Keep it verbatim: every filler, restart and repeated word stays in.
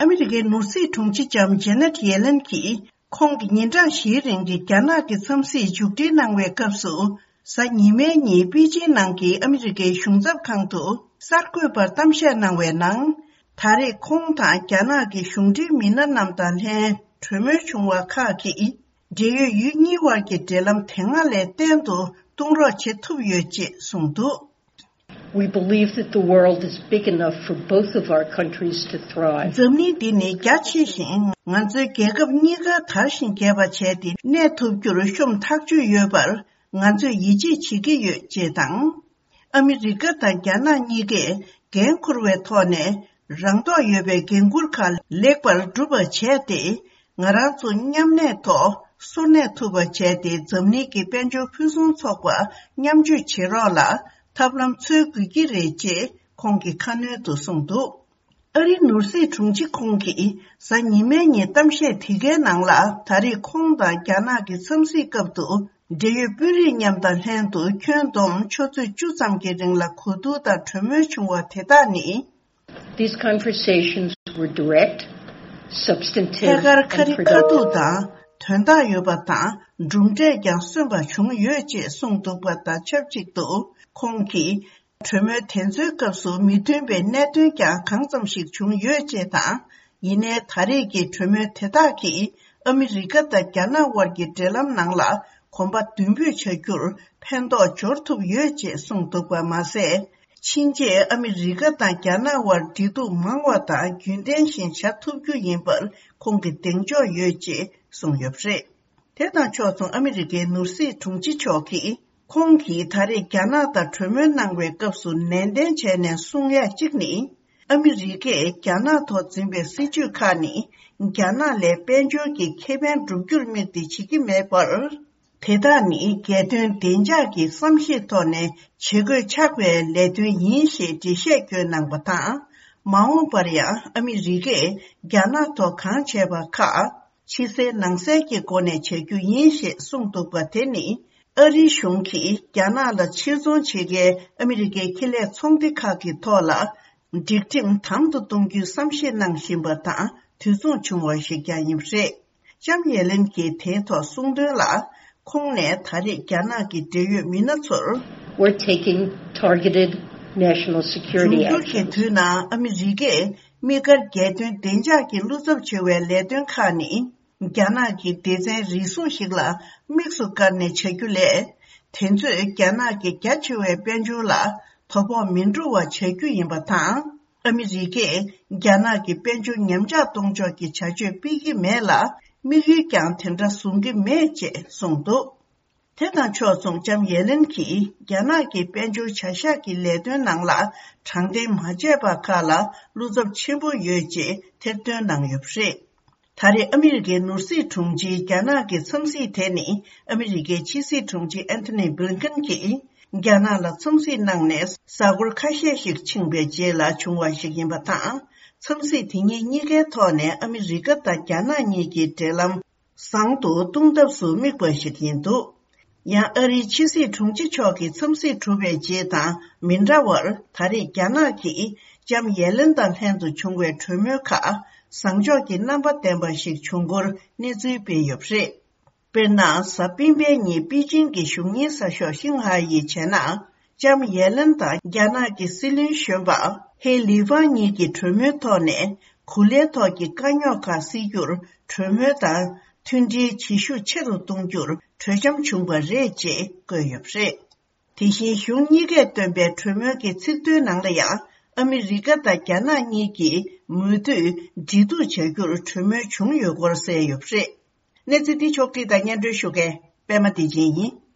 ཨ་མི་རི་ཀའི་ནོར་སྲིད་དྲུང་ཆེ་ལྕམ་ཇེ་ནེད་ཡེ་ལེན་གྱིས། ཁོང་གིས་ཉིན་གྲངས་བཞིའི་རིང་གི་རྒྱ་ནག་གི་འཚམས་གཟིགས་མཇུག་སྒྲིལ་གནང་བའི་སྐབས་སུ། གཟའ་ཉི་མའི་ཉིན་པེ་ཅིང་ནང་གི་ཨ་མི་རི་ཀའི་གཞུང་ཚབ་ཁང་དུ་གསར་འགོད་པར་གཏམ་བཤད་གནང་བའི་ནང་། ད་རེས་ཁོང་དང་རྒྱ་ནག་གི་གཞུང་འབྲེལ་མི་སྣ་རྣམས་དང་ལྷན་གྲོས་མོལ་བྱུང་བ་ཁག་གིས། འབྲེལ་ཡོད་ཡུལ་གཉིས་དབར་གྱི་འབྲེལ་ལམ་དེ་སྔ་ལས་བརྟན་དུ་གཏོང་རོགས་བྱེད་ཐུབ་ཡོད་ཅེས་གསུངས་འདུག། We believe that the world is big enough for both of our countries to thrive. འཛམ་གླིང་འདི་ནི་རྒྱ་ཆེ་ཞིང་། ང་ཚོའི་རྒྱལ་ཁབ་གཉིས་ཀ་དར་ཞིང་རྒྱས་པ་བྱས་ཏེ་གནས་ཐུབ་རྒྱུར་ཤོམ་ཐག་ཆོད་ཡོད་པར་ང་ཚོས་ཡིད་ཆེས་བྱེད་ཀྱི་ཡོད་ཅེས་དང་། ཨ་མི་རི་ཀ་དང་རྒྱ་ནག་གཉིས་ཀས་འགན་འཁུར་བའི་ཐོག་ནས་རང་རྟོགས་ཡོད་པའི་འགན་འཁུར་ཁག་ལེགས་པར་འགྲུབ་པ་བྱས་ཏེ། ང་རང་ཚོ་མཉམ་གནས་ཐོག་སོར་གནས་ཐུབ་པ་བྱས་ཏེ། འཛམ་གླིང་གི་དཔལ་འབྱོར་ཕུན་སུམ་ཚོགས་པ་མཉམ་སྤྱོད་བྱེད་རོགས་ལ་ཐབས་ལམ་འཚོལ་དགོས་ཀྱི་རེད་ཅེས་ཁོང་གིས་ཁ་སྣོན་དུ་གསུངས་འདུག། ཨ་རིའི་ནོར་སྲིད་དྲུང་ཆེ་ཁོང་གིས་གཟའ་ཉི་མའི་ཉིན་གཏམ་བཤད་དེ་གའི་ནང་ལ། ད་རེས་ཁོང་དང་རྒྱ་ནག་གི་འཚམས་གཟིགས་སྐབས་སུ། འབྲེལ་ཡོད་དཔོན་རིགས་མཉམ་དང་ལྷན་དུ་ཁྱོན་བསྡོམས་ཆུ་ཚོད་བཅུ་ཙམ་གྱི་རིང་ལ་གོ་བསྡུར་དང་གྲོས་མོལ་བྱུང་བ་དེ་དག་ནི། These conversations were direct, substantive, ཐད་ཀར་ཁ་རི་ཁ་ཐུག་དང་དོན་དག་ཡོད་པ་དང་། གྲུབ་འབྲས་ཀྱང་སོན་པ་བྱུང་ཡོད་ཅེས་གསུངས་འདུག་པ་དང་ཆབས་ཅིག་ཏུ། ཁོང་གིས། གྲོས་མོལ་དེ་ཚོའི་སྐབས་སུ་མི་མཐུན་པའི་གནད་དོན་ཀྱང་གང་ཙམ་ཞིག་བྱུང་ཡོད་ཅེས་དང་། ཡིན་ནའི་ད་རེས་ཀྱི་གྲོས་མོལ་དེ་དག་གིས་ཨ་མི་རི་ཀ་དང་རྒྱ་ནག་དབར་གྱི་འབྲེལ་ལམ་ནང་ལ་གོམ་པ་མདུན་སྤོས་བྱ་རྒྱུར་ཕན་ཐོགས་འབྱོར་ཐུབ་ཡོད་ཅེས་གསུངས་འདུག་པ་མ་ཟད། ཕྱིན་ཆད་ཨ་མི་རི་ཀ་དང་རྒྱ་ནག་དབར་འབྲེལ་གཏུག་མང་བ་དང་རྒྱུན་ལྡན་ཞིག་བྱ་ཐུབ་རྒྱུ་ཡིན་པར་ཁོང་གིས་གདེང་འཇོག་ཡོད་ཅེས་གསུངས་ཡོད་པ་རེད། དེ་དང་ཕྱོགས་མཚུངས་ཨ་མི་རི་ཀའི་ནོར་སྲིད་དྲུང་ཆེ་མཆོག་གིས། ཁོང་གིས་ད་རེས་རྒྱ་ནག་དང་གྲོས་མོལ་གནང་བའི་སྐབས་སུ་ནན་ཏན་བྱས་ནས་གསུང་ཡ་གཅིག་ནི། ཨ་མི་རི་ཀས་རྒྱ་ནག་ཐོག་འཛིན་པའི་སྲིད་བྱུས་ཁག་ནི། རྒྱ་ནག་ལ་དཔལ་འབྱོར་གྱི་ཁེ་ཕན་སྒྲུབ་རྒྱུར་དམིགས་ཏེ་བྱེད་ཀྱི་མེད་པར། དེ་དག་ནི་རྒྱལ་དོན་བདེ་འཇགས་ཀྱི་བསམ་ཤེས་ཐོག་ནས་བྱེད་དགོས་ཆགས་པའི་ལས་དོན་ཡིན་ཞེས་འགྲེལ་བཤད་བསྐྱོན་གནང་བ་དང་། མ་འོངས་པར་ཡང་ཨ་མི་རི་ཀས་རྒྱ་ནག་ཐོག་གང་བྱས་པ་ཁག་ཕྱི་གསལ་ནང་གསལ་གྱི་སྒོ་ནས་བྱ་རྒྱུ་ཡིན་ཞེས་གསུངས་འདུག་པ་དེ་ནི། ཨ་རིའི་གཞུང་གིས་རྒྱ་ནག་ལ་ཕྱིར་ཚོང་བྱེད་མཁན་ཨ་མི་རི་ཀའི་ཁེ་ལས་ཚོང་སྡེ་ཁག་གི་ཐོག་ལ། སྒྲིག་ཁྲིམས་དམ་དུ་གཏོང་རྒྱུའི་བསམ་ཤེས་གནང་བཞིན་པ་དང་དུས་མཚུངས་བྱུང་བ་ཞིག་ཀྱང་ཡིན་པ་རེད། ལྕམ་ཡེ་ལེན་གྱིས་དེའི་ཐོག་གསུངས་དོན་ལ། ཁོང་ནས་ད་རེས་རྒྱ་ནག་གི་འབྲེལ་ཡོད་མི་སྣ་ཚོར། We're taking targeted national security actions. འབྱུང་འགྱུར་གྱི་དུས་ནང་ཨ་མི་རི་ཀས་དམིགས་བཀར་རྒྱལ་དོན་བདེ་འཇགས་ཀྱི་བློ་འཚབ་ཆེ་བའི་ལས་དོན་ཁག་ནི། རྒྱ་ནག་གི་སྡེ་ཚན་རེ་ཟུང་ཞིག་ལ་དམིགས་སུ་བཀར་ནས་བྱ་རྒྱུ་ལས། དེ་ཚོས་རྒྱ་ནག་གི་རྒྱ་ཆེ་བའི་དཔལ་འབྱོར་ལ་དོ་ཕོག་མི་འགྲོ་བ་བྱ་རྒྱུ་ཡིན་པ་དང་། ཨ་མི་རི་ཀས་རྒྱ་ནག་གི་དཔལ་འབྱོར་ཉམས་ཆག་གཏོང་ཕྱོགས་ཀྱི་བྱ་སྤྱོད་སྤེལ་གྱི་མེད་ལ། དམིགས་ཡུལ་ཀྱང་དེ་འདྲ་བཟུང་གི་མེད་ཅེས་གསུངས་འདུག། དེ་དང་ཕྱོགས་མཚུངས་ལྕམ་ཡེ་ལེན་གྱིས་རྒྱ་ནག་གི་དཔལ་འབྱོར་བྱ་གཞག་གི་ལས་དོན་ནང་ལ་དྲང་བདེན་མ་བྱས་པ་ཁག་ལ་བློ་འཚབ་ཆེན་པོ་ཡོད་ཅེས་ཐེར་འདོན་གནང་ཡོད་པ་རེད། ད་རེས་ཨ་མི་རི་ཀའི་ནོར་སྲིད་དྲུང་ཆེའི་རྒྱ་ནག་གི་འཚམས་གཟིགས་དེ་ནི། ཨ་མི་རི་ཀའི་ཕྱི་སྲིད་དྲུང་ཆེ་ཨན་ཐོ་ནི་བྷིལ་ཀིན་གྱིས་རྒྱ་ནག་ལ་འཚམས་གཟིགས་གནང་ནས་གཟའ་འཁོར་ཁ་ཤས་ཤིག་ཕྱིན་པའི་རྗེས་ལ་བྱུང་བ་ཞིག་ཡིན་པ་དང་། འཚམས་གཟིགས་དེ་ཉིད་གཉིས་ཀའི་ཐོག་ནས་ཨ་མི་རི་ཀ་དང་རྒྱ་ནག་གཉིས་ཀྱི་འབྲེལ་ལམ་བཟང་དུ་གཏོང་ཐབས་སུ་དམིགས་པ་ཞིག་ཡིན་འདུག། ཡང་ཨ་རིའི་ཕྱི་སྲིད་དྲུང་ཆེ་མཆོག་གི་འཚམས་གཟིགས་གྲུབ་པའི་རྗེས་དང་མི་འདྲ་བར། ད་རེས་རྒྱ་ནག་གིས་ལྕམ་ཡེ་ལེན་དང་ལྷན་དུ་བྱུང་བའི་གྲོས་མོལ་ཁག་བཟང་ཕྱོགས་ཀྱི་རྣམ་པ་ལྡན་པ་ཞིག་བྱུང་སྐོར་གནས་ཚུལ་སྤེལ་ཡོད་པ་རེད། དཔེར་ན། གཟའ་སྤེན་པའི་ཉིན་པེ་ཅིང་གི་གཞུང་གཉེར་གསར་ཤོག་ཤིན་ཧྭ་ཡིས་བྱས་ན། ལྕམ་ཡེ་ལེན་དང་རྒྱ་ནག་གི་སྲིད་བློན་གཞོན་པ་ཧེ་ལི་ཧྥང་གཉིས་ཀྱིས་གྲོས་མོལ་ཐོག་ནས་གོ་ལའི་ཐོག་གི་དཀའ་རྙོག་ཁག་སེལ་རྒྱུར་གྲོས་མོལ་དང་མཐུན་སྒྲིལ་བྱེད་ཤུགས་ཆེ་རུ་གཏོང་རྒྱུར་གྲོས་འཆམ་བྱུང་བ་རེད་ཅེས་བཀོད་ཡོད་པ་རེད། དེ་བཞིན་གཞུང་གཉིས་ཀས་བཏོན་པའི་གྲོས་མོལ་གྱི་ཚིག་དོན་ནང་ལ་ཡང་། ཨ་མི་རི་ཀ་དང་རྒྱ་ནག་གཉིས་ཀྱིས་མུ་མཐུད་འབྲེལ་གཏུག་བྱ་རྒྱུར་གྲོས་མོལ་བྱུང་ཡོད་སྐོར་གསལ་ཡོད་པ་རེད། གནས་ཚུལ་འདི་ཕྱོགས་བསྒྲིགས་དང་སྙན་སྒྲོན་ཞུ་མཁན་པད་མ་བདེ་ཆེན་ཡིན།